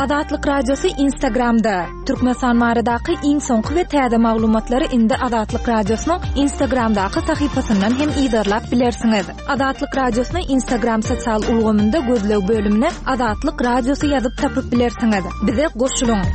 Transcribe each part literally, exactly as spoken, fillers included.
Azatlyk Radiosy Instagramda. Türkmenistan baradaky iň soňky we täze maglumatlary indi Azatlyk Radiosynyň Instagramdaky sahypasyndan hem yzarlap bilersiňiz. Azatlyk Radiosyny Instagram sosial ulgamynda gözleg bölümine Azatlyk Radiosy ýazyp tapyp bilersiňiz. Bize goşulyň.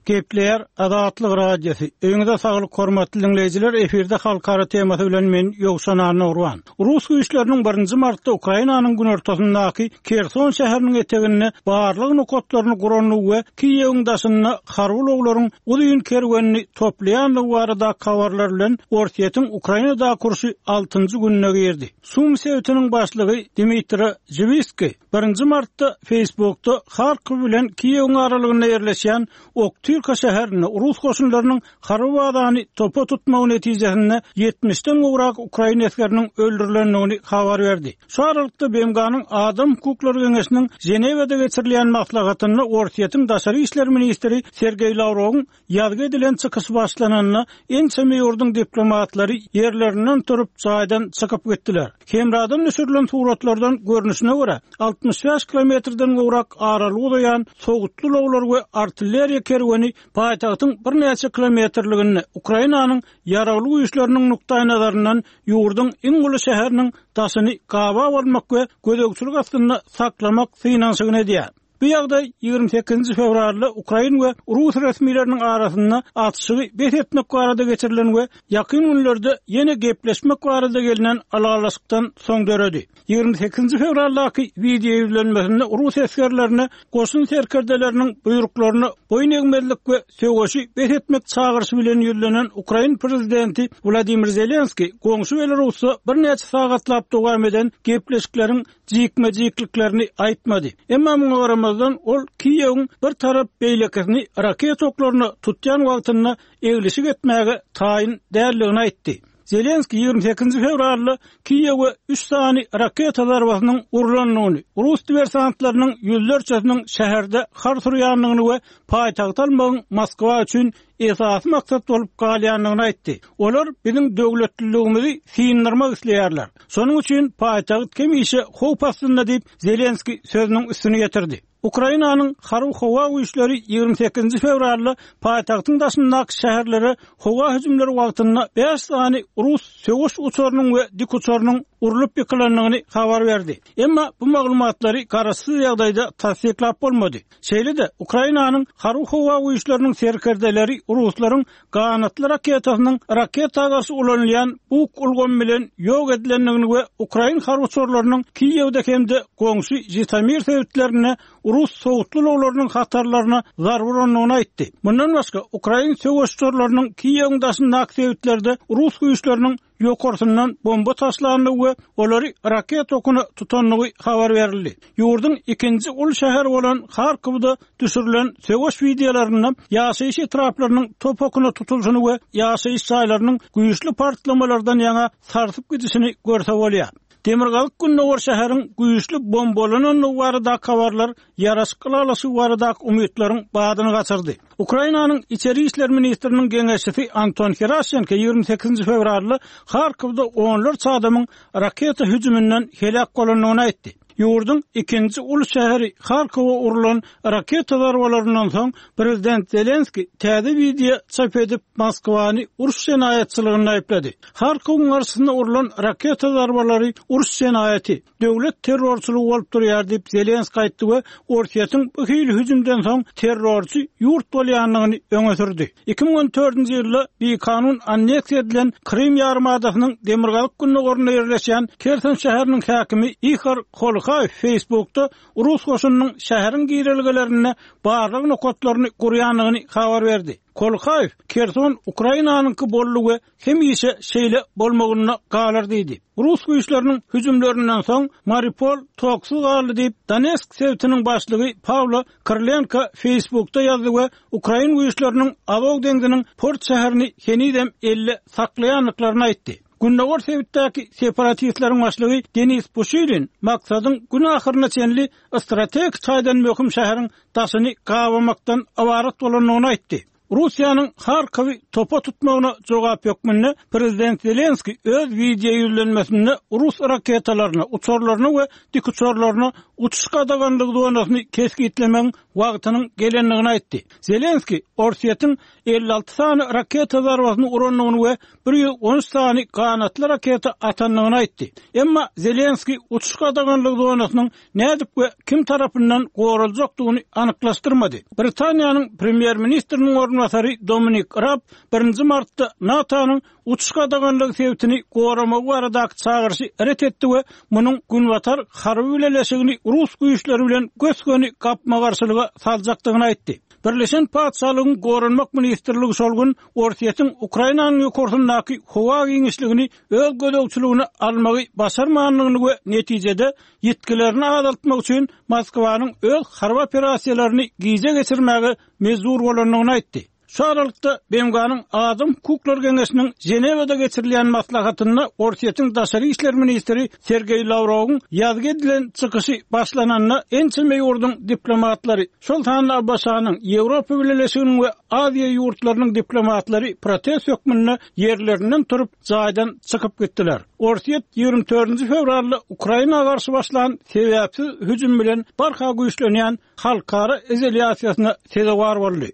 Gepleýär Azatlyk Radiosy. Öýüňize saglyk hormatly diňleýjiler, efirde halkara temasy bilen men Ýowşan Annagurban. Rus güýçleriniň birinji martda Ukrainanyň günortasyndaky Kerson şäheriniň eteginde barlyk nokatlaryny gurandygy we Kiýewiň daşynda harby ulaglaryň uzyn kerwenini toplaýandygy barada habarlar bilen Orsýetiň Ukrainadaky urşy altynjy gününe girdi. Sum sebitiniň başlygy Dmitri Žiwiskiý birinji martda Facebookda Harkiw bilen Kiýewiň aralygynda ýerleşýän Oktyrka şäherinde rus goşunlarynyň harby bazany topa tutmagy netijesinde ýetmişden gowrak ukrain esgeriniň öldürilendigini habar berdi. Şu aralykda B M G-nyň Adam hukuklary geňeşiniň Ženewada geçirilýän maslahatynda Orsýetiň daşary işler ministri Sergeý Lawrowyň ýazgy edilen çykyş başlananda ençeme ýurduň diplomatlary ýerlerinden turup jaýdan çykyp gitdiler. Hemradan düşürilen suratlardan görnüşine görä altmyş bäş kilometrden gowrak aralyk uzaýan sowutly ulaglar we artilleriýa kerweni paýtagtyň birnäçe kilometrliginde Ukrainanyň ýaragly güýçleriniň nukdaýnazaryndan ýurduň iň uly şäheriniň daşyny gaba almak we gözegçilik astynda saklamak synanyşygyny edýär. Bu ýagdaý ýigrimi sekizinji fewralda Ukrain we Rus resmileriniň arasynda atyşygy bes etmek barada geçirilen we ýakyn günlerde ýene gepleşmek barada gelinen ylalaşykdan soň döredi. Ýigrimi sekizinji fewraldaky video ýüzlenmesinde Rus esgerlerine goşun serkerdeleriniň buýruklaryna boýun egmezlik we söweşi bes etmek çagyryşy bilen ýüzlenen Ukrain prezidenti Wladimir Zelenskiý goňşy Belarusda birnäçe sagatlap dowam eden gepleşikleriň jikme-jikliklerini aýtmady. Emma muňa garamazdan ol Kiýewiň bir tarap beýlekisini raket oklaryna tutýan wagtynda eglişik etmäge taýyn däldigini aýtdy. Zelenskiý ýigrimi sekizinji fewralda Kiýewe üç sany raketa zarbasynyň urlandygyny, rus diversantlarynyň ýüzlerçesiniň şäherde har surýandygyny we paýtagt almagyň Moskwa üçin esasy maksat bolup galýandygyny aýtdy. Olar biziň döwletliligimizi syndirmek isleýärler. Şonuň üçin paýtagt hemişe howp astynda diýip Zelenskiý sözüniň üstüni getirdi. Ukrainanyň harby howa güýçleri ýigrimi sekizinji fewralda paýtagtyň daşyndaky şäherlere howa hüjümleri wagtynda bäş sany rus söweş uçarynyň we dik uçarynyň urlup ýykylandygyny habar berdi. Emma bu maglumatlary garaşsyz ýagdaýda tassyklap bolmady. Şeýle-de Ukrainanyň harby howa güýçleriniň serkerdeleri ruslaryň ganatly raketasynyň raketa garşy ulanylýan Buk ulgamy bilen ýok edilendigini we Ukrain harby uçarlarynyň Kiýewde hem-de goňşy Jitomir sebitlerinde rus sowutly ulaglarynyň hatarlaryna zarba urandygyny aýtdy. Mundan başga Ukrain söweş uçarlarynyň Kiýewiň daşyndaky sebitlerde rus güýçleriniň ýokarsyndan bomba taşlandygy we olary raket okuna tutandygy habar berildi. Ýurduň ikinji uly şäheri bolan Harkowda düşürilen söweş wideolarynda ýaşaýyş etraplarynyň top okuna tutulyşyny we ýaşaýyş jaýlarynyň güýçli partlamalardan ýaňa sarsyp gidişini görse bolýar. Demirgazyk Gündogar şäheriň güýçli bombalanandygy baradaky habarlar ýaraşyk ylalaşygy baradaky umytlaryň badyny gaçyrdy. Ukrainanyň içeri işler ministriniň geňeşçisi Anton Heraşenko ýigrimi sekizinji fewralda Harkowda onlarça adamyň raketa hüjüminden heläk bolandygyny aýtdy. Ýurduň ikinji uly şäheri Harkowa urulan raketa zarbalaryndan soň prezident Zelenskiý täze video çap edip Moskwany uruş jenaýatçylygynda aýyplady. Harkowyň garşysynda urulan raketa zarbalary uruş jenaýaty, döwlet terrorçylygy bolup durýar diýip Zelenskiý aýtdy we Orsýetiň bu hili hüjümden soň terrorçy ýurt bolýandygyny öňe sürdi. Iki müň on dördünji ýylda bikanun anneksiýa edilen Krym ýarymadasynyň demirgazyk gündogarynda ýerleşýän Kersen şäheriniň häkimi Ihor Kolhaýew Facebookda rus goşunynyň şäheriň girelgelerinde barlyk nokatlaryny gurýandygyny habar berdi. Kolhaýew Kerson Ukrainanyňky boldy we hemişe şeýle bolmagyna galar diýdi. Rus güýçleriniň hüjümlerinden soň Mariupol toksuz galdy diýip Donetsk sebitiniň başlygy Pawlo Kyrlenko Facebookda ýazdy we Ukrain güýçleriniň Azov deňziniň port şäherini henizem elle saklaýandyklaryny aýtdy. Gündogar sebitdäki separatistleriň başlygy Denis Pushilin maksadyň gün ahyryna çenli strategik taýdan möhüm şäheriň daşyny gabamakdan ybarat bolandygyny aýtdy. Russiýanyň Harkowy topa tutmagyna jogap hökmünde Prezident Zelenski öz wideo ýüzlenmesinde rus raketalaryna, uçarlaryna we dikuçarlaryna uçuş gadaganlygy zonasyny kesgitlemegiň wagtynyň gelendigini aýtdy. Zelenski Orsýetiň elli alty sany raketa zarbasyny urandygyny we bir ýüz on üç sany ganatly raketa atandygyny aýtdy. Emma Zelenski uçuş gadaganlygy zonasynyň nädip we kim tarapyndan goraljakdygyny anyklaşdyrmady. Britaniýanyň premýer-ministriniň orunbasary Dominik Raab birinji martda NATO-nyň uçuş gadaganlygy sebitini goramagy baradaky çagyryşy ret etdi we munuň Günbatar harby bileleşigini rus güýçleri bilen gös-göni gapma-garşylyga saljakdygyny aýtdy. Birleşen Patyşalygyň Goranmak ministrligi şol gün Orsýetiň Ukrainanyň ýokarsyndaky howa giňişligini öz gözegçiligine almagy başarmandygyny we netijede ýitgilerini azaltmak üçin Moskwanyň öz harby operasiýalaryny gije geçirmäge mejbur bolandygyny aýtdy. Şu aralykda B M G-nyň Adam Hukuklar Geňeşiniň Ženewada geçirilýän maslahatynda Orsýetiň daşary işler ministri Sergeý Lawrowyň ýazgy edilen çykyşy başlananda ençeme ýurduň diplomatlary, şol sanda A B Ş-nyň, Ýewropa Bileleşiginiň we Aziýa ýurtlarynyň diplomatlary protest hökmünde ýerlerinden turup jaýdan çykyp gitdiler. Orsýet ýigrimi dördünji fewralda Ukraina garşy başlan sebäpsiz hüjüm bilen barha güýçlenýän halkara izolýasiýasyna sezewar boldy.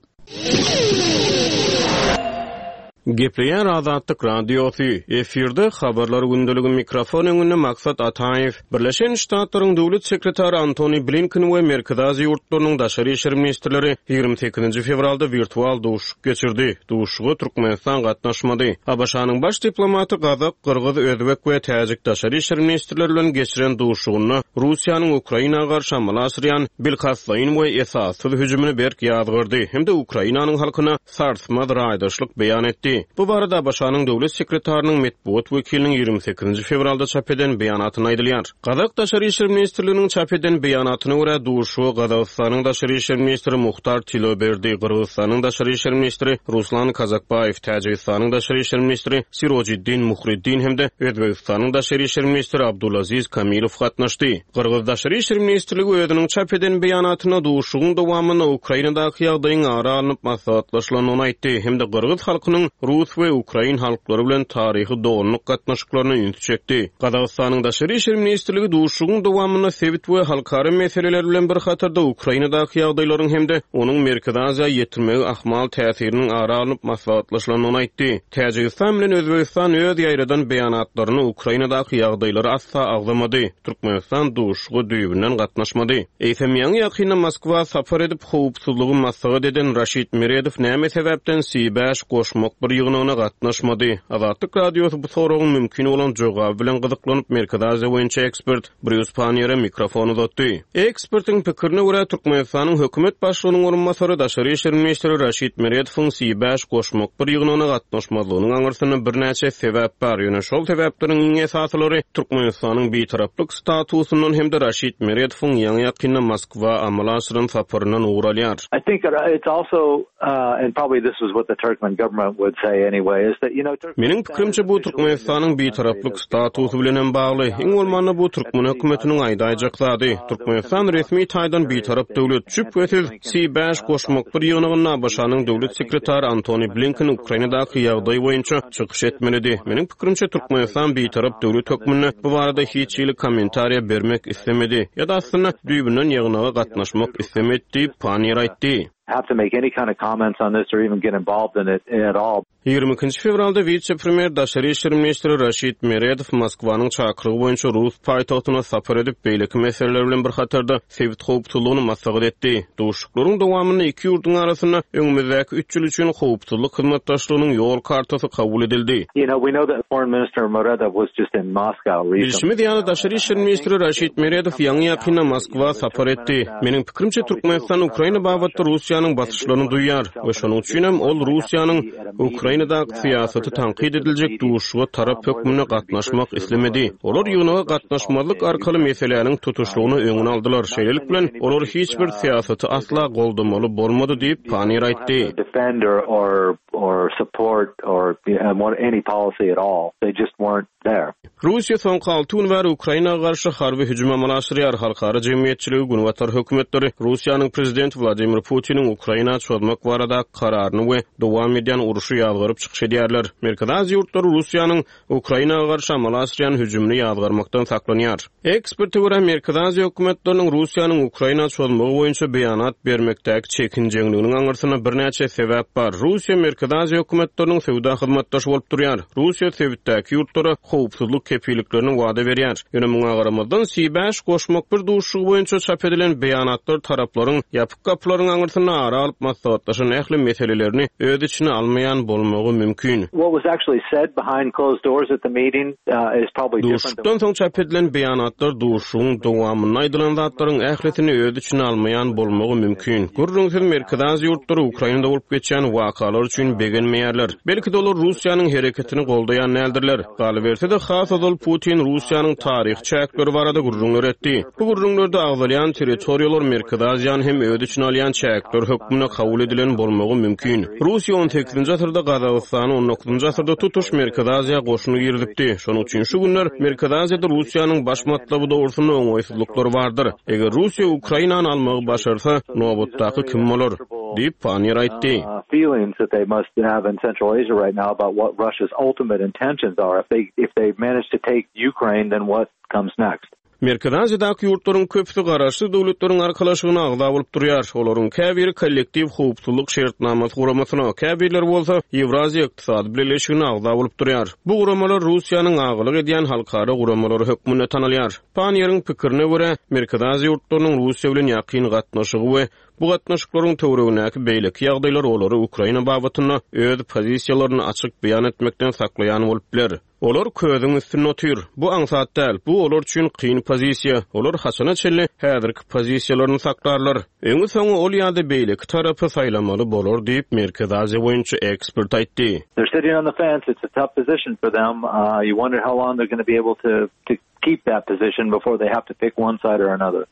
Gepleýär Azatlyk Radiosy. Efirde habarlar gündeligi mikrofon öňünde Maksat Ataýew. Birleşen Ştatlaryň döwlet sekretary Antony Blinken we Merkezi Aziýa ýurtlarynyň daşary işler ministrleri ýigrimi sekizinji fewralda wirtual duşuşyk geçirdi. Duşuşyga Türkmenistan gatnaşmady. A B Ş-nyň baş diplomaty Gazak, Gyrgyz, Özbek we Täjik daşary işler ministrleri bilen geçiren duşuşygynda Russiýanyň Ukraina garşy amala aşyrýan bilkastlaýyn we esassyz hüjümini berk ýazgyrdy hem-de Ukrainanyň halkyna sarsmaz raýdaşlyk beýan etdi. Bu barada A B Ş-nyň döwlet sekretarynyň metbugat wekiliniň ýigrimi sekizinji fewralda çap eden beýanatyny aýdylýar. Gazak Daşary işler ministrliginiň çap eden beýanatyna görä duşuşyga Gazagystanyň Daşary işler ministri Muhtar Tiloberdi, Gyrgyzystanyň Daşary işler ministri Ruslan Kazakbaýew, Täjigistanyň Daşary işler ministri Sirojiddin Muhriddin hem-de Özbegistanyň Daşary işler ministri Abdulaziz Kamilow gatnaşdy. Gyrgyz Daşary işler ministrligi özüniň çap eden beýanatyna duşuşygyň dowamynda Ukrainadaky ýagdaýyň ara alnyp maslahatlaşylandygyny aýtdy hem-de Gyrgyz halkynyň Rus we Ukrain halklary bilen taryhy doganlyk gatnaşyklaryna üns çekdi. Gazagystanyň Daşary işler ministrligi duşuşygyň dowamynda sebit we halkara meseleleri bilen bir hatarda Ukrainadaky ýagdaýlaryň hem-de onuň Merkezi Aziýa ýetirmegi ahmal täsiriniň ara alnyp maslahatlaşylandygyny aýtdy. Täjigistan bilen Özbegistan öz ýaýradan beýanatlaryny Ukrainadaky ýagdaýlary asla agzamady. Türkmenistan duşuşyga düýbünden gatnaşmady. Eýsem ýaňy ýakynda Moskwa sapar edip howpsuzlygy maslahat eden Raşid Meredow näme sebäpden C bäş goşmak bir ýygnagyna gatnaşmady? Azatlyk Radiosy bu soragyň mümkin bolan jogaby bilen gyzyklanyp Merkezi Aziýa boýunça ekspert Brýus Panniýere mikrofon uzatdy. Ekspertiň pikirine görä Türkmenistanyň hökümet başlygynyň orunbasary Daşary işler ministri Raşid Meredowyň C bäş goşmak bir ýygnagyna gatnaşmazlygynyň aňyrsynda birnäçe sebäp bar. Ýöne şol sebäpleriň iň esasylary Türkmenistanyň bitaraplyk statusyndan hem-de Raşid Meredowyň ýaňy ýakynda Moskwa amala aşyran saparyndan ugur alýar. I think it's also, uh, and probably this is what the Turkmen government would say anyway, is that, you know, Turkmenistan Meniň pikrimçe bu Türkmenistanyň bitaraplyk statusy bilen hem bagly. Iň bolmanda bu Türkmen hökümetiniň aýdaýjak zady. Türkmenistan resmi taýdan bitarap döwlet. Şübhesiz C bäş goşmak bir ýygnagynda A B Ş-nyň döwlet sekretary Antony Blinken Ukrainadaky ýagdaý boýunça çykyş etmelidi. Meniň pikrimçe Türkmenistan bitarap döwlet hökmünde bu barada hiç hili kommentariýa bermek istemedi ýa-da aslynda düýbünden ýygnaga gatnaşmak istemedi diýip Panniýer aýtdy. have to make any kind of comments on this or even get involved in it at all. Ýigrimi ikinji fewralda wise-premýer Daşary işler ministri Raşid Meredow Moskwanyň çakyrygy boýunça Rus paýtagtyna sapar edip, beýleki meseleler bilen bir hatarda sebit howpsuzlygyny maslahat etdi. Duşuşyklaryň dowamynda iki ýurduň arasynda öňümizdäki üç ýyl üçin howpsuzlyk hyzmatdaşlygynyň ýol kartasy kabul edildi. You know, we know that Foreign Minister Meredow was just in Moscow recently. Bilşimiz ýaly Daşary işler ministri Raşid Meredow ýaňy ýakynda Moskwa sapar etdi. Meniň pikrimçe Türkmenistan Ukraina babatda Russiýanyň basyşlaryny duýar we şonuň üçin hem ol Russiýanyň Ukrainadaky syýasaty tankyt ediljek duşuşyga tarap hökmünde gatnaşmak islemedi. Olar ýygnaga gatnaşmazlyk arkaly meseläniň tutuşlygyny öňüne aldylar. Şeýlelik bilen olar hiç bir syýasaty asla goldamaly bolmady diýip Panniýer aýtdy. Defend or, or, or support or, you know, any policy at all. They just weren't there. Russiýa soňky alty gün bäri Ukraina garşy harby hüjüm amala aşyrýar. Halkara jemgyýetçiligi Günbatar hökümetleri Russiýanyň prezidenti Wladimir Putiniň Ukraina çozmak barada kararyny we dowam edýän uruşy ýazgaryp çykyş edýärler. Merkezi Aziýa ýurtlary Russiýanyň Ukraina garşy amala aşyrýan hüjümini ýazgarmakdan saklanýar. Eksperte görä Merkezi Aziýa hökümetleriniň Russiýanyň Ukraina çozmagy boýunça beýanat bermekdäki çekinjeňliginiň aňyrsynda birnäçe sebäp bar. Russiýa Merkezi Aziýa hökümetleriniň söwda hyzmatdaşy bolup durýar. Russiýa sebitdäki ýurtlara howpsuzlyk kepilliklerini wada berýär. Ýöne muňa garamazdan C bäş goşmak bir duşuşygy boýunça çap edilen beýanatlar taraplaryň ýapyk gapylaryň aňyrsynda ara alyp maslahatlaşan ähli meselelerini öz içine almaýan bolmagy mümkin. What was actually said behind closed doors at the meeting, uh, is probably different than Duşuşykdan soň çap edilen beýanatlar duşuşygyň dowamynda aýdylan zatlaryň ählisini öz içine almaýan bolmagy mümkin. Gürrüňsiz Merkezi Aziýa ýurtlary Ukrainada bolup geçýän wakalar üçin begenmeýärler. Belki de olar Russiýanyň hereketini goldaýan däldirler. Galyberse-de has ozal Putin Russiýanyň taryhy çäkleri barada gürrüňler etdi. Bu gürrüňlerde agzalýan territoriýalar Merkezi Aziýany hem öz içine alýan çäkler hökmünde kabul edilen bolmagy mümkin. Russiýa on sekizinji asyrda Gazagystany, on dokuzynjy asyrda tutuş Merkezi Aziýa goşuny girizipdi. Şonuň üçin şu günler Merkezi Aziýada Russiýanyň baş matlaby dogrusynda oňaýsyzlyklar bardyr. Eger Russiýa Ukrainany almagy başarsa, nobatdaky kim bolar? Diýip Panniýer aýtdy. Uh, feelings that they must have in Central Asia right now about what Russia's ultimate intentions are. If they, if they manage to take Ukraine, then what comes next? Merkezi Aziýadaky ýurtlaryň köpüsi garaşsyz döwletleriň arkalaşygyna agza bolup durýar. Olaryň käbiri kollektiw howpsuzlyk şertnamasy guramasyna, käbirleri bolsa Ýewraziýa Ykdysady Birleşigine agza bolup durýar. Bu guramalar Russiýanyň agalyk edýän halkara guramalary hökmünde tanalýar. Panniýeriň pikirine görä, Merkezi Aziýa ýurtlarynyň Russiýa bilen ýakyn gatnaşygy we bu gatnaşyklaryň töweregindäki beýleki ýagdaýlar olary Ukraina babatynda öz pozisiýalaryny açyk beýan etmekden saklaýan bolup biler. Olar közüň üstünde otyr. Bu aňsat däl. Bu olar üçin kyn pozisiýa. Olar haçana çenli häzirki pozisiýalaryny saklarlar. Öňi soňy ol ýa-da beýleki tarapy saýlamaly bolar diýip Merkezi Aziýa boýunça ekspert aýtdy. They're sitting on the fence. It's a tough position for them. Uh, you wonder how long they're gonna be able to, to keep that position before they have to pick one side or another.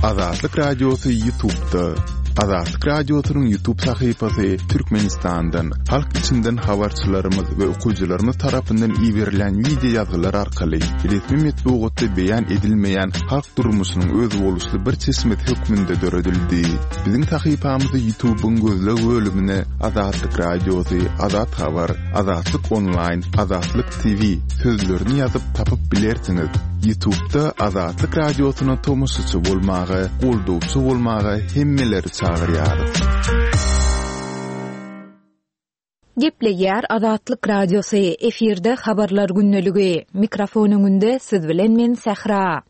Azatlyk Radiosy YouTube'da. Azatlyk Radiosynyň YouTube sahypasy Türkmenistandan, halk içinden habarçylarymyz we okyjylarymyz tarapyndan iberilen video ýazgylar arkaly resmi metbugatda beýan edilmeýän halk durmuşynyň özboluşly bir çeşmesi hökmünde döredildi. Biziň sahypamyzy YouTube'yň gözleg bölümine Azatlyk Radiosy, Azat Habar, Azatlyk Online, Azatlyk T V sözlerini ýazyp tapyp bilersiňiz. YouTube'da Azatlyk Radiosyna tomaşaçy bolmaga, goldawçy bolmaga hemmeleri çagyrýarys. Gepleýär Azatlyk Radiosy, efirde habarlar gündeligi. Mikrofon öňünde siz bilen men Sähra.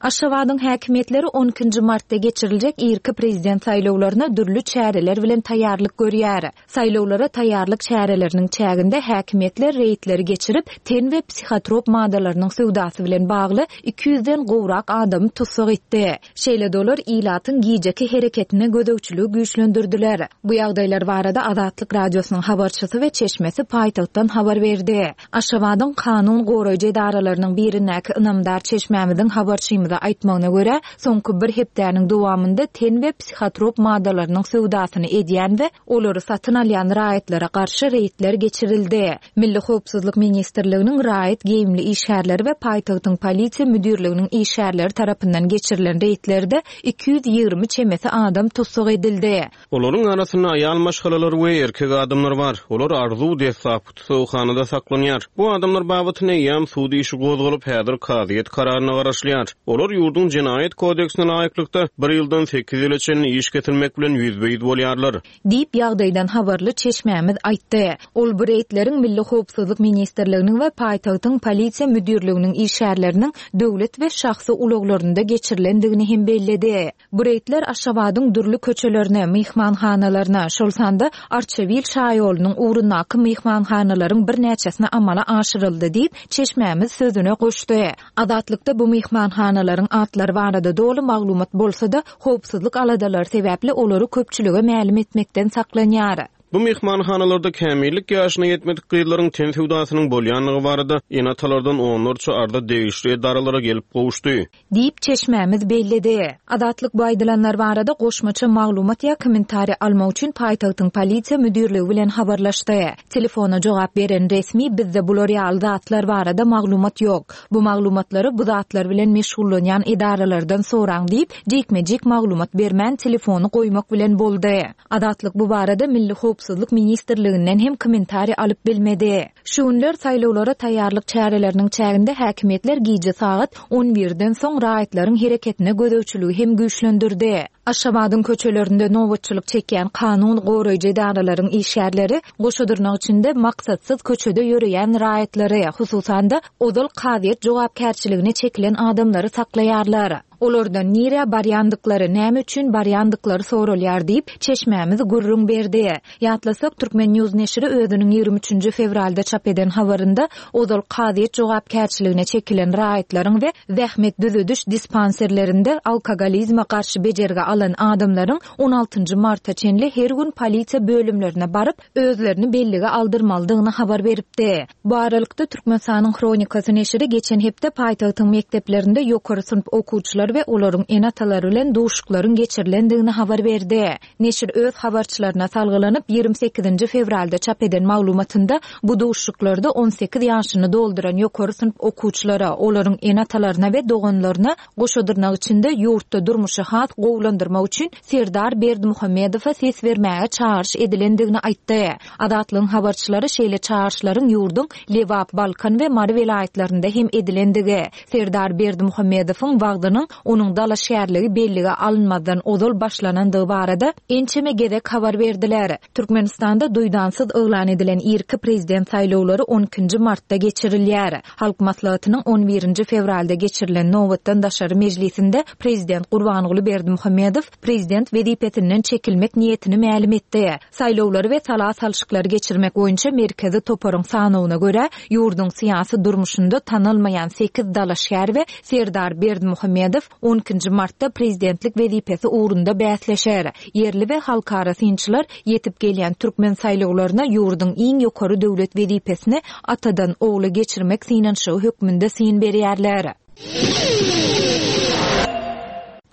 Aşgabadyň häkimiýetleri on ikinji martda geçiriljek irki prezident saýlawlaryna dürli çäreler bilen taýýarlyk görýär. Saýlawlara taýýarlyk çäreleriniň çäginde häkimiýetler reýdleri geçirip, ten we psihotrop maddalarynyň söwdasy bilen bagly iki ýüzden gowrak adamy tussag etdi. Şeýle dolar ilatyň gijeki hereketine gözegçiligi güýçlendirdiler. Bu ýagdaýlar barada Azatlyk Radiosynyň habarçysy we çeşmesi paýtagtdan habar berdi. Aşgabadyň kanun goraýjy edaralarynyň birindäki ynamdar çeşmämiziň habarçymyza aýtmagyna görä, soňky bir hepdäniň dowamynda ten we psihotrop maddalarynyň söwdasyny edýän we olary satyn alýan raýatlara garşy reýdler geçirildi. Milli Howpsuzlyk Ministrliginiň raýat geýimli işgärleri we paýtagtyň polisiýa müdirliginiň işgärleri tarapyndan geçirilen reýdlerde iki ýüz ýigrimi çemesi adam tussag edildi. Olaryň arasynda aýal maşgalalar we erkek adamlar bar. Olar arzuw deslapky tussaghanada saklanýar. Bu adamlar babatynda eýýäm sud işi gozgalyp, häzir kazyýet kararyna garaşylýar. Olar ýurduň jenaýat kodeksine laýyklykda bir ýyldan sekiz ýyla çenli iş kesilmek bilen ýüzbe-ýüz bolýarlar. Diýip ýagdaýdan habarly çeşmämiz aýtdy. Ol bu reýdleriň Milli Howpsuzlyk Ministrliginiň we paýtagtyň polisiýa müdirliginiň işgärleriniň döwlet we şahsy ulaglarynda geçirilendigini hem belledi. Bu reýdler Aşgabadyň dürli köçelerine, myhmanhanalaryna, şol sanda Arçabil şaýolunyň ugrundaky myhmanhanalaryň birnäçesine amala aşyryldy diýip çeşmämiz sözüne goşdy. Azatlykda bu myhmanhanalaryň atlary barada doly maglumat bolsa-da, howpsuzlyk aladalary sebäpli olary köpçülige mälim etmekden saklanýar. Bu myhmanhanalarda kämillik ýaşyna ýetmedik gyzlaryň ten söwdasynyň bolýandygy barada ene-atalardan onlarça arza degişli edaralara gelip gowuşdy. Diýip, çeşmämiz belledi. Azatlyk bu aýdylanlar barada goşmaça maglumat ýa kommentariý almak üçin paýtagtyň polisiýa müdirligi bilen habarlaşdy. Telefona jogap beren resmi bizde bular ýaly zatlar barada maglumat ýok. Bu maglumatlary bu zatlar bilen meşgullanýan edaralardan soraň diýip, jikme-jik maglumat bermän telefony goýmak bilen boldy. Azatlyk bu barada Milli howpsuzlyk ministrliginden hem kommentariý alyp bilmedi. Şu günler saýlawlara taýýarlyk çäreleriniň çäginde häkimiýetler gije sagat on birden soň raýatlaryň hereketine gözegçiligi hem güýçlendirdi. Aşgabadyň köçelerinde nobatçylyk çekýän kanun goraýjy edaralaryň işgärleri goşa dyrnak içinde maksatsyz köçede ýöreýän raýatlary, hususan-da ozal kazyýet jogapkärçiligine çekilen adamlary saklaýarlar. Olardan nirä barýandyklary, näme üçin barýandyklary soralýar diýip, çeşmämiz gürrüň berdi. Ýatlasak, Türkmen News neşiri özüniň ýigrimi üçünji fewralda çap eden habarynda ozal kazyýet jogapkärçiligine çekilen raýatlaryň we zähmet düzediş dispanserlerinde alkogolizme garşy bejergi alan adamlaryň on altynjy marta çenli her gün polisiýa bölümlerine baryp, özlerini bellige aldyrmalydygyny habar beripdi. Bu aralykda Türkmenistanyň Hronikasy neşiri geçen hepde paýtagtyň mekdeplerinde ýokary synp okuwçylary we olaryň ene-atalary bilen duşuklaryň geçirilendigini habar berdi. Neşir öz habarçylaryna salgylanyp, ýigrimi sekizinji fewralda çap eden maglumatynda bu duşuklarda on sekiz ýaşyny dolduran ýokary synp okuwçylara, olaryň ene-atalaryna we doganlaryna goşa dyrnak içinde ýurtda durmuşy has gowulandyrmak üçin Serdar Berdimuhamedowa ses bermäge çagyryş edilendigini aýtdy. Azatlygyň habarçylary şeýle çagyryşlaryň ýurduň Lebap, Balkan we Mary welaýatlarynda hem edilendigi, Serdar Berdimuhamedowyň wagtynyň onuň dalaşgärligi bellige alynmazdan ozal başlanandygy barada ençeme gezek habar berdiler. Türkmenistanda duýdansyz yglan edilen irki prezident saýlawlary on ikinji martda geçirilýär. Halk Maslahatynyň on birinji fewralda geçirilen nobatdan daşary mejlisinde prezident Gurbanguly Berdimuhamedow prezident wezipesinden çekilmek niýetini mälim etdi. Saýlawlary we sala salşyklary geçirmek boýunça merkezi toparyň sanawyna görä, ýurduň syýasy durmuşynda tanalmaýan sekiz dalaşgär we Serdar Berdimuhamedow on ikinji martda prezidentlik wezipesi ugrunda bäsleşer. Ýerli we halkara synçylar ýetip gelýän türkmen saýlawlaryna ýurduň iň ýokary döwlet wezipesini atadan ogla geçirmek synanyşygy hökmünde syn berýärler.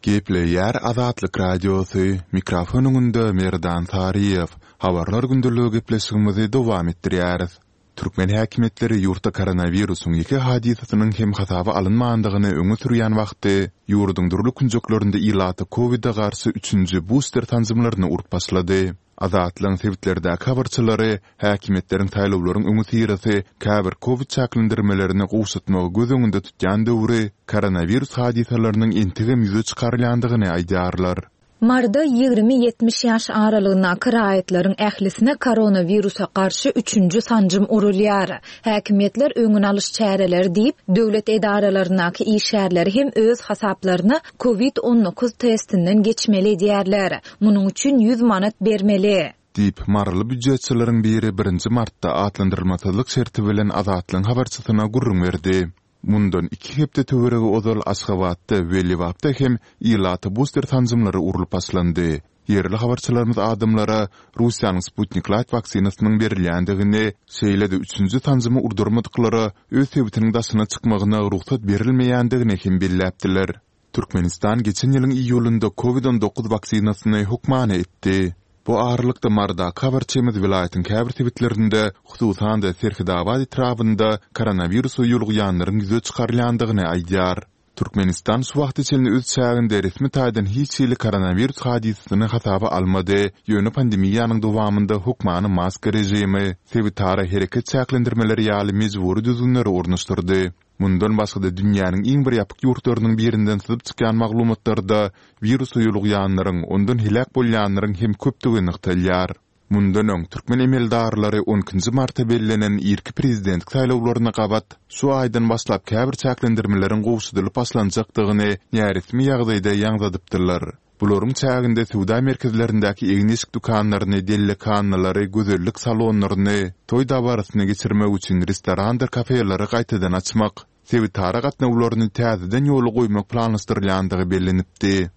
Gepleýär Azatlyk Radiosy, mikrofon öňünde Merdan Saryýew. Habarlar gündeligi gepleşigimizi dowam etdirýäris. Türkmen häkimiýetleri ýurtda koronawirusyň iki hadysasynyň hem hasaba alynmandygyny öňe sürýän wagty, ýurduň dürli künjeklerinde ilata Covid-e garşy üçünji buster sanjymlaryny urup başlady. Azatlygyň sebitlerdäki habarçylary häkimiýetleriň saýlawlaryň öňüsyrasy käbir Covid çäklendirmelerini gowşatmagy göz öňünde tutýan döwri koronawirus hadysalarynyň entegem ýüze çykarylýandygyny aýdýarlar. Maryda ýigrimi ýetmiş ýaş aralygyndaky raýatlaryň ählisine koronawirusa garşy üçünji sanjym urulýar. Häkimiýetler öňün alyş çäreleri diýip, döwlet edaralaryndaky işgärleri hem öz hasaplaryna Covid on dokuz testinden geçmeli edýärler. Munuň üçin ýüz manat bermeli. Diýip, Maryly býujetçileriň biri birinji martda atlandyrylmasyzlyk şerti bilen Azatlygyň habarçysyna gürrüň berdi. Mundan iki hepde töweregi ozal Aşgabatda we Lebapda hem ilata buster sanjymlary urlup başlandy. Ýerli habarçylarymyz adamlara Russiýanyň Sputnik Light waksinasynyň berilýändigini, şeýle-de üçünji sanjymy urdurmadyklara öz sebitiniň daşyna çykmagyna rugsat berilmeýändigini hem belläpdiler. Türkmenistan geçen ýylyň iýulynda Covid on dokuz waksinasyny hökmany etdi. Bu aralykda Marydaky habarçymyz welaýatyň käbir sebitlerinde, hususan-da Serhetabat etrabynda koronawirusa ýolugýanlaryň ýüze çykarylýandygyny aýdýar. Türkmenistan şu wagta çenli öz çäginde resmi taýdan hiç hili koronawirus hadysasyny hasaba almady, ýöne pandemiýanyň dowamynda hökmany maska režimi, sebitara hereket çäklendirmeleri ýaly mejbury düzgünleri ornaşdyrdy. Mundan başga-da dünýäniň iň bir ýapyk ýurtlarynyň birinden syzyp çykýan maglumatlarda wirusa ýolugýanlaryň, ondan heläk bolýanlaryň hem köpdügi nygtalýar. Mundan öň türkmen emeldarlary on ikinji marta bellenen irki prezidentlik saýlawlaryna gabat şu aýdan başlap käbir çäklendirmeleriň gowşadylyp başlanjakdygyny näresmi ýagdaýda ýaňzadypdylar. Bularyň çäginde söwda merkezlerindäki egin-eşik dükanlaryny, dellekanalary, gözellik salonlaryny, toý dabarasyny geçirmek üçin restorandyr kafeleri gaýtadan açmak, sebitara gatnawlaryny täzeden ýola goýmak planlaşdyrylýandygy bellenipdi.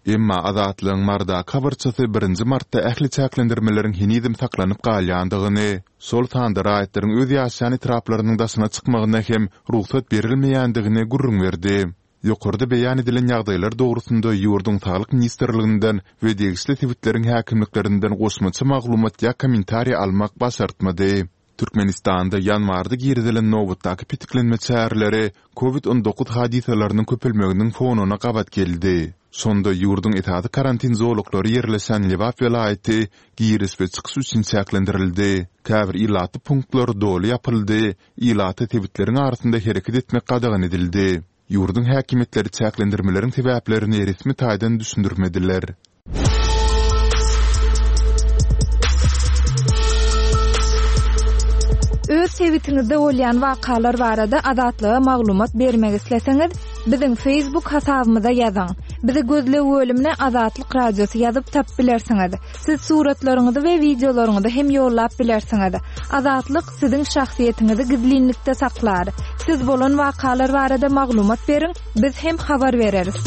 Emma Azatlygyň Marydaky habarçysy birinji martda ähli çäklendirmeleriň henizem saklanyp galýandygyny, şol sanda raýatlaryň öz ýaşaýan etraplarynyň daşyna çykmagyna hem rugsat berilmeýändigini gürrüň berdi. Ýokarda beýan edilen ýagdaýlar dogrusynda ýurduň Saglyk ministrliginden we degişli sebitleriň häkimliklerinden goşmaça maglumat ýa kommentariý almak başartmady. Türkmenistanda ýanwarda girizilen nobatdaky petiklenme çäreleri Covid on dokuz hadysalarynyň köpelmeginiň fonuna gabat geldi. Şonda ýurduň esasy karantin zolaklary ýerleşen Lebap welaýaty giriş we çykyş üçin çäklendirildi. Käbir ilatly punktlar doly ýapyldy, ilata sebitleriň arasynda hereket etmek gadagan edildi. Ýurduň häkimiýetleri çäklendirmeleriň sebäplerini resmi taýdan düşündirmediler. Öz sebitiňizde bolýan wakalar barada Azatlyga maglumat bermek isleseňiz, biziň Facebook hasabymyza ýazyň. Bizi gözleg bölümine Azatlyk Radiosy ýazyp tap bilersiňiz. Siz suratlaryňyzy we wideolaryňyzy hem ýollap bilersiňiz. Azatlyk siziň şahsyýetiňizi gizlinlikde saklar. Siz bolan wakalar barada maglumat beriň, biz hem habar bereris.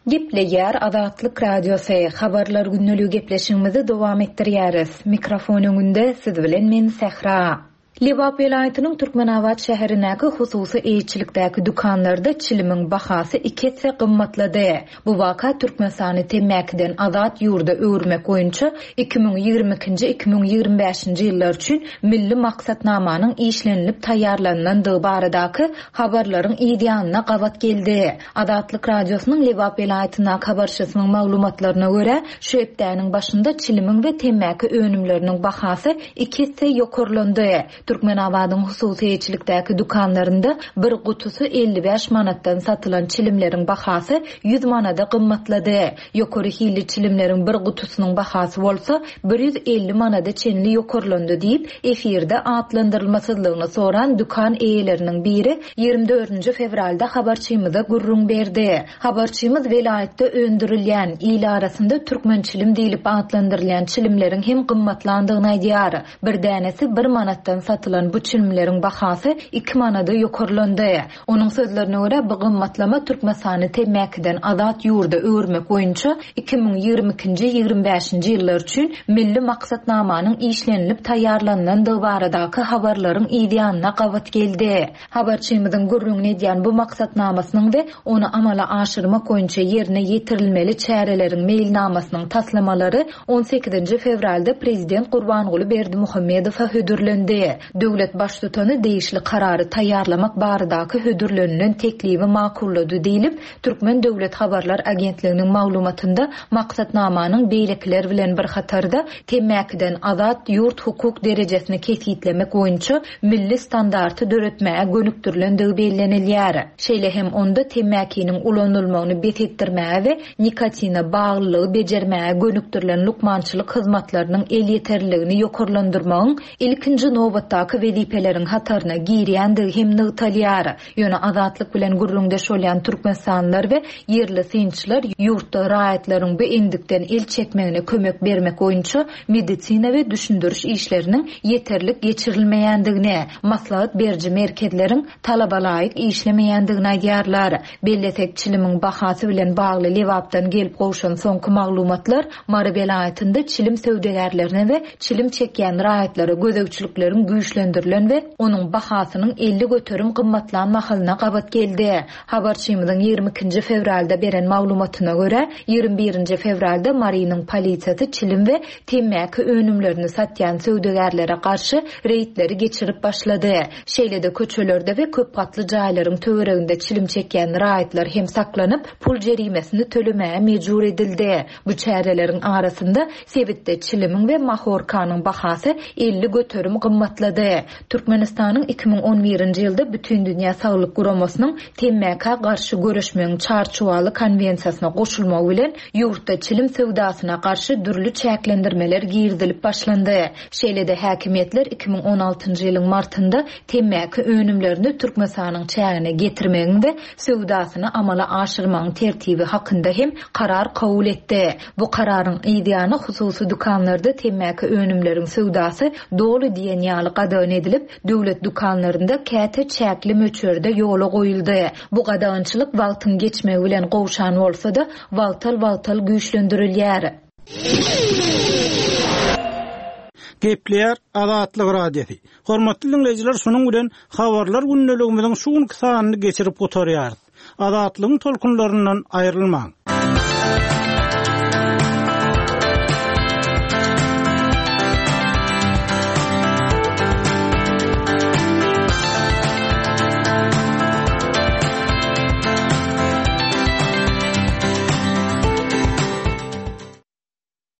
Gepleýär Azatlyk Radiosy. Habarlar günlügi gepleşigimizi dowam etdirýäris. Mikrofon öňünde siz bilen men Sähra. Lebap welaýatynyň Türkmenabat şäherindäki hususy eýeçilikdäki dükanlarda çilimiň bahasy iki esse gymmatlady. Bu waka Türkmenistany temmäkiden azat ýurda öwürmek boýunça iki müň ýigrimi ikinji iki müň ýigrimi bäşinji ýyllar üçin milli maksatnamanyň işlenilip taýýarlanylandygy baradaky habarlaryň yz ýanyna gabat geldi. Azatlyk Radiosynyň Lebap welaýatyndaky habarçysynyň maglumatlaryna görä, şu hepdäniň başynda çilimiň we temmäki önümleriniň bahasy iki esse ýokarlandy. Türkmenabadyň hususy eýeçilikdäki dükanlarynda bir gutusy elli bäş manatdan satylan çilimleriň bahasy ýüz manada gymmatlady. Ýokary hilli çilimleriň bir gutusynyň bahasy bolsa bir ýüz elli manada çenli ýokarlandy diýip, efirde atlandyrylmasyzlygyny soran dükan eýeleriniň biri ýigrimi dördünji fewralda habarçymyza gürrüň berdi. Habarçymyz welaýatda öndürilýän, il arasynda türkmen çilim diýlip atlandyrylýan çilimleriň hem gymmatlandygyny aýdýar. Bir dänesi bir manatdan satylan bu çilimleriň bahasy iki manada ýokarlandy. Onuň sözlerine görä, bu gymmatlama Türkmenistany temmäkiden azat ýurda öwürmek boýunça iki müň ýigrimi ikinji ýigrimi bäşinji ýyllar üçin milli maksatnamanyň işlenilip taýýarlanylandygy baradaky habarlaryň yz ýanyna gabat geldi. Habarçymyzyň gürrüňini edýän bu maksatnamasynyň we ony amala aşyrmak boýunça ýerine ýetirilmeli çäreleriň meýilnamasynyň taslamalary on sekizinji fewralda Prezident Gurbanguly Berdimuhamedowa hödürlendi. Döwlet baştutany degişli karary taýýarlamak baradaky hödürlenilen teklibi makullady diýlip, Türkmen Döwlet Habarlar Agentliginiň maglumatynda maksatnamanyň beýlekiler bilen bir hatarda temmäkiden azat ýurt hukuk derejesini kesgitlemek boýunça milli standarty döretmäge gönükdirilendigi bellenilýär. Şeýle hem onda temmäkiniň ulanylmagyny bes etdirmäge we nikotina baglylygy bejermäge gönükdirilen lukmançylyk hyzmatlarynyň elýeterliligini ýokarlandyrmagyň ilkinji nobatdaky wezipeleriň hataryna girýändigi hem nygtalýar. Ýöne Azatlyk bilen gürrüňdeş bolýan Türkmenistanlylar we ýerli synçylar ýurtda raýatlaryň bu endikden el çekmegine kömek bermek boýunça medisina we düşündiriş işleriniň ýeterlik geçirilmeýändigini, maslahat beriji merkezleriň talabalaýyk işlemeýändigini aýdýarlar. Bellesek, çilimiň bahasy bilen bagly Lebapdan gelip gowşan soňky maglumatlar Mary welaýatynda çilim söwdagärlerine we çilim çekýän raýatlara gözegçilikleriň güýçlendirilen we onuň bahasynyň elli göterim gymmatlan mahalyna gabat geldi. Habarçymyzyň ýigrimi ikinji fewralda beren maglumatyna görä, ýigrimi birinji fewralda Marynyň polisiýasy çilim we temmäki önümlerini satýan söwdagärlere garşy reýdleri geçirip başlady. Şeýle-de köçelerde we köp gatly jaýlaryň töwereginde çilim çekýän raýatlar hem saklanyp, pul jerimesini tölemäge mejbur edildi. Bu çäreleriň arasynda sebitde çilimiň we mahorkanyň bahasy elli göterim gymmatlady. Türkmenistanyň iki müň on birinji ýylda Bütindünýä Saglyk Guramasynyň temmäkä garşy göreşmegiň çarçuwaly konwensiýasyna goşulmagy bilen ýurtda çilim söwdasyna garşy dürli çäklendirmeler girizilip başlandy. Şeýle-de häkimiýetler iki müň on altynjy ýylyň martynda temmäki önümlerini Türkmenistanyň çägine getirmegiň we söwdasyny amala aşyrmagyň tertibi hakynda hem karar kabul etdi. Bu kararyň yz ýany hususy dükanlarda temmäki önümleriň söwdasy doly diýen ýaly gadagan edilip, döwlet dükanlarynda käte çäkli möçberde ýola goýuldy. Bu gadagançylyk wagtyň geçmegi bilen gowşan bolsa-da, wagtal-wagtal güýçlendirilýär. Gepleýär Azatlyk Radiosy. Hormatly diňleýjiler, şunuň bilen habarlar gündeligimiziň şu günki sanyny geçirip gutarýarys. Azatlygyň tolkunlaryndan aýrylmaň.